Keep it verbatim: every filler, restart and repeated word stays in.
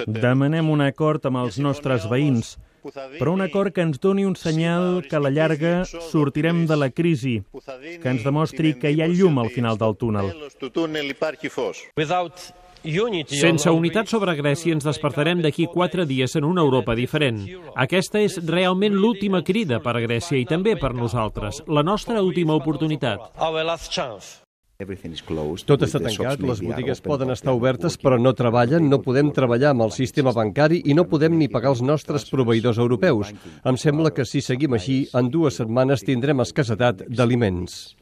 Demanem un acord amb els nostres veïns, però un acord que ens doni un senyal que a la llarga sortirem de la crisi, que ens demostri que hi ha llum al final del túnel. Sense unitat sobre Grècia ens despertarem d'aquí quatre dies en una Europa diferent. Aquesta és realment l'última crida per a Grècia i també per nosaltres, la nostra última oportunitat. Tot està tancat, les botigues poden estar obertes però no treballen, no podem treballar amb el sistema bancari i no podem ni pagar els nostres proveïdors europeus. Em sembla que si seguim així, en dues setmanes tindrem escassetat d'aliments.